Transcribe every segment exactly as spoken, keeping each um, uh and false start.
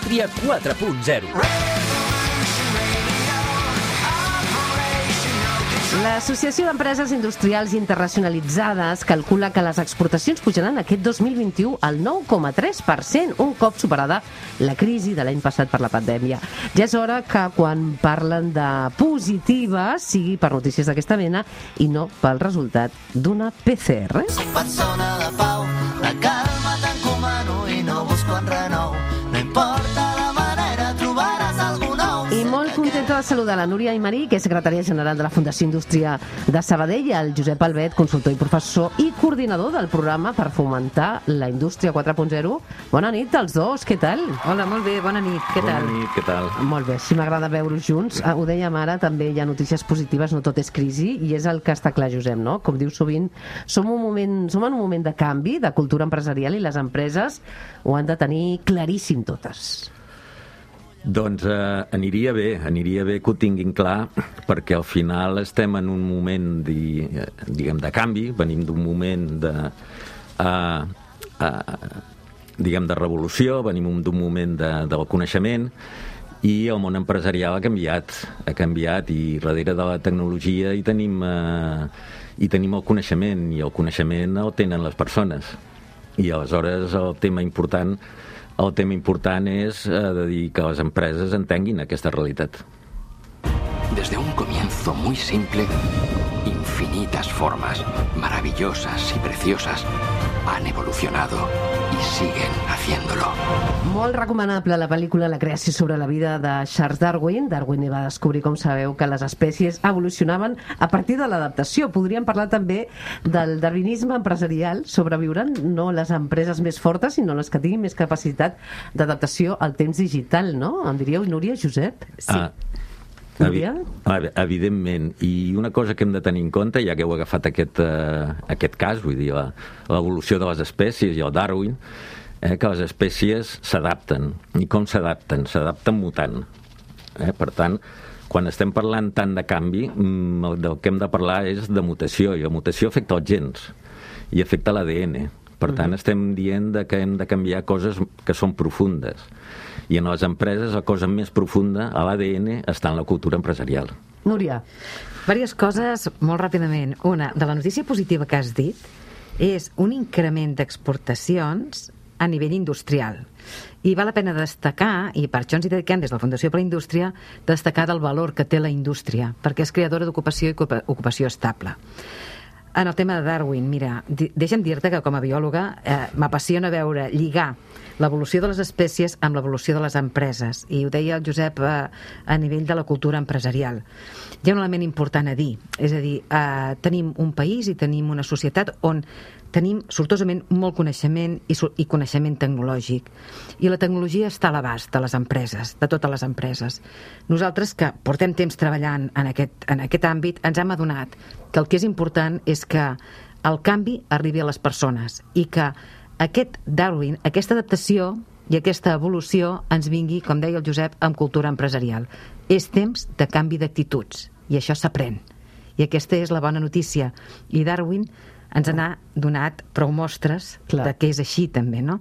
Indústria quatre punt zero. L'Associació d'Empreses Industrials Internacionalitzades calcula que les exportacions pujaran aquest dos mil vint-i-u al nou coma tres per cent, un cop superada la crisi de l'any passat per la pandèmia. Ja és hora que quan parlen de positives sigui per notícies d'aquesta mena i no pel resultat d'una P C R. Soc persona de pau, la calma t'encomano i no busco enrenou. No importa la manera, trobaràs algú nou. I molt contenta de saludar la Núria Aymarí, que és secretària general de la Fundació Indústria de Sabadell, el Josep Albet, consultor i professor i coordinador del programa per fomentar la Indústria quatre punt zero. Bona nit als dos, què tal? Hola, molt bé, bona nit, què tal? Bona nit, què tal? Molt bé, sí, m'agrada veure-us junts. Ho dèiem ara, també hi ha notícies positives, no tot és crisi, i és el que està clar, Josep, no? Com diu sovint, som, un moment, som en un moment de canvi, de cultura empresarial, i les empreses ho han de tenir claríssim totes. Doncs eh, aniria bé, aniria bé que ho tinguin clar, perquè al final estem en un moment di, diguem, de canvi, venim d'un moment de, uh, uh, diguem, de revolució, venim d'un moment de, del coneixement, i el món empresarial ha canviat, ha canviat, i darrere de la tecnologia hi tenim, uh, hi tenim el coneixement, i el coneixement el tenen les persones. I aleshores el tema important El tema important és eh, de dir que les empreses entenguin aquesta realitat. Desde un comienzo muy simple, infinitas formas, maravillosas y preciosas, han evolucionado y siguen haciéndolo. Molt recomanable la pel·lícula La creació sobre la vida de Charles Darwin. Darwin va descobrir, com sabeu, que les espècies evolucionaven a partir de l'adaptació. Podríem parlar també del darwinisme empresarial. Sobreviuran no les empreses més fortes, sinó les que tinguin més capacitat d'adaptació al temps digital, no? Em diríeu, Núria, Josep? Sí. Ah. Evi evidentment, i una cosa que hem de tenir en compte, ja que heu agafat aquest, uh, aquest cas, vull dir, l'evolució de les espècies i el Darwin, eh, que les espècies s'adapten. I com s'adapten? S'adapten mutant. Eh? Per tant, quan estem parlant tant de canvi, del que hem de parlar és de mutació, i la mutació afecta els gens i afecta l'A D N. Per tant, estem dient que hem de canviar coses que són profundes. I en les empreses la cosa més profunda, a l'A D N, està en la cultura empresarial. Núria. Diverses coses molt ràpidament. Una, de la notícia positiva que has dit, és un increment d'exportacions a nivell industrial. I val la pena destacar, i per això ens hi dediquem des de la Fundació per la Indústria, destacar del valor que té la indústria, perquè és creadora d'ocupació i ocupació estable. En el tema de Darwin, mira, deixa'm dir-te que com a biòloga eh, m'apassiona veure lligar l'evolució de les espècies amb l'evolució de les empreses, i ho deia el Josep eh, a nivell de la cultura empresarial. Hi ha un element important a dir, és a dir, eh, tenim un país i tenim una societat on tenim sortosament molt coneixement i, i coneixement tecnològic, i la tecnologia està a l'abast de les empreses, de totes les empreses. Nosaltres, que portem temps treballant en aquest, en aquest àmbit, ens hem adonat que el que és important és que el canvi arribi a les persones i que aquest Darwin, aquesta adaptació i aquesta evolució ens vingui, com deia el Josep, amb cultura empresarial. És temps de canvi d'actituds, i això s'aprèn. I aquesta és la bona notícia. I Darwin ens n'ha donat prou mostres Clar. de que és així també, no?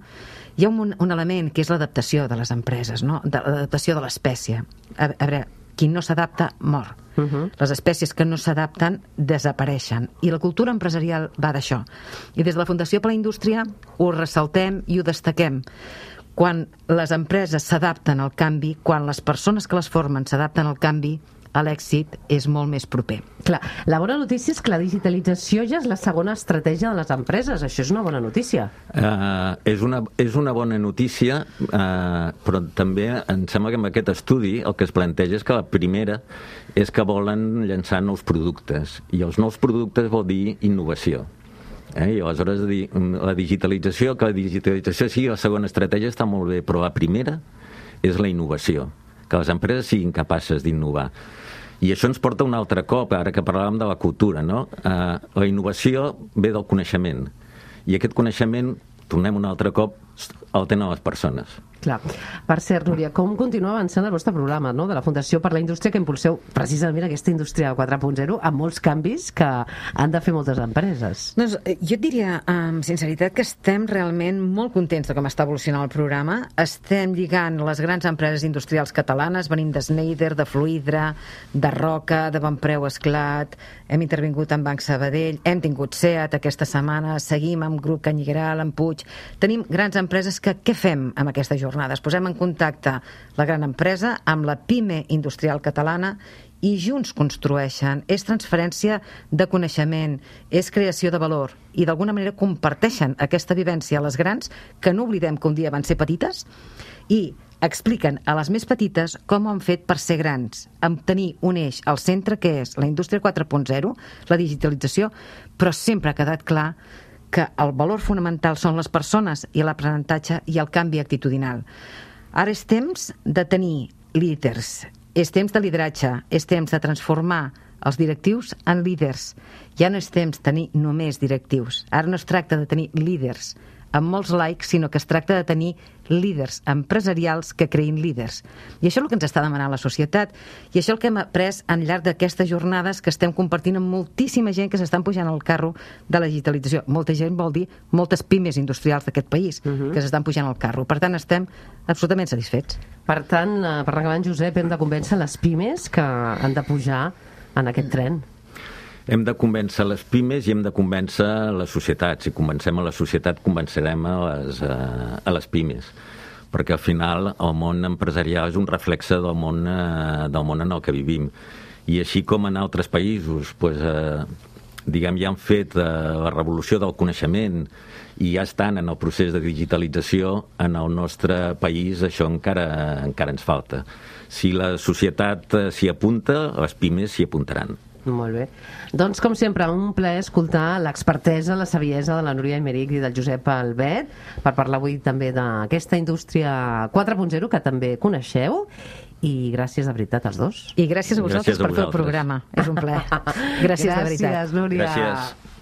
Hi ha un, un element que és l'adaptació de les empreses, no? De l'adaptació de l'espècie. A, a veure, qui no s'adapta mor. Uh -huh. Les espècies que no s'adapten desapareixen, i la cultura empresarial va d'això. I des de la Fundació per la Indústria ho ressaltem i ho destaquem. Quan les empreses s'adapten al canvi, quan les persones que les formen s'adapten al canvi, l'èxit és molt més proper. Clar, la bona notícia és que la digitalització ja és la segona estratègia de les empreses. Això és una bona notícia. Uh, és, una, és una bona notícia, uh, però també em sembla que amb aquest estudi el que es planteja és que la primera és que volen llançar nous productes, i els nous productes vol dir innovació. Eh? I aleshores dir, la digitalització, que la digitalització sigui la segona estratègia està molt bé, però la primera és la innovació, que les empreses siguin capaces d'innovar. I això ens porta un altre cop, ara que parlàvem de la cultura, no? Uh, la innovació ve del coneixement, i aquest coneixement, tornem un altre cop, el tenen les persones. Clar. Per cert, Núria, com continua avançant el vostre programa, no?, de la Fundació per la Indústria, que impulseu precisament aquesta indústria quatre punt zero amb molts canvis que han de fer moltes empreses? Doncs jo et diria, amb sinceritat, que estem realment molt contents de com està evolucionant el programa. Estem lligant les grans empreses industrials catalanes, venim de Schneider, de Fluidra, de Roca, de Bonpreu Esclat, hem intervingut amb Banc Sabadell, hem tingut SEAT aquesta setmana, seguim amb Grup Canyigueral, amb Puig. Tenim grans empreses que què fem amb aquestes jornades? Posem en contacte la gran empresa amb la pime industrial catalana i junts construeixen. És transferència de coneixement, és creació de valor i d'alguna manera comparteixen aquesta vivència a les grans, que no oblidem que un dia van ser petites, i expliquen a les més petites com ho han fet per ser grans, amb tenir un eix al centre que és la indústria quatre punt zero, la digitalització, però sempre ha quedat clar que el valor fonamental són les persones i l'aprenentatge i el canvi actitudinal. Ara és temps de tenir líders, és temps de lideratge, és temps de transformar els directius en líders. Ja no és temps de tenir només directius. Ara no es tracta de tenir líders amb molts likes, sinó que es tracta de tenir líders empresarials que creïn líders. I això és el que ens està demanant la societat, i això és el que hem après al llarg d'aquestes jornades que estem compartint amb moltíssima gent que s'estan pujant al carro de la digitalització. Molta gent vol dir moltes pimes industrials d'aquest país uh-huh. que s'estan pujant al carro. Per tant, estem absolutament satisfets. Per tant, per acabar, Josep, hem de convèncer les pimes que han de pujar en aquest tren. Hem de convèncer les pimes i hem de convèncer la societat. Si convencem a la societat, convencerem a les, a les pimes. Perquè al final el món empresarial és un reflexe del món, del món en el que vivim. I així com en altres països pues, eh, diguem, ja han fet eh, la revolució del coneixement i ja estan en el procés de digitalització, en el nostre país això encara, encara ens falta. Si la societat s'hi apunta, les pimes s'hi apuntaran. Molt bé. Doncs, com sempre, un plaer escoltar l'expertesa, la saviesa de la Núria Aymerich i del Josep Albet per parlar avui també d'aquesta indústria quatre punt zero que també coneixeu, i gràcies de veritat als dos. I gràcies a vosaltres gràcies a per fer el programa. És un plaer. Gràcies, gràcies de veritat. Gràcies, Núria. Gràcies.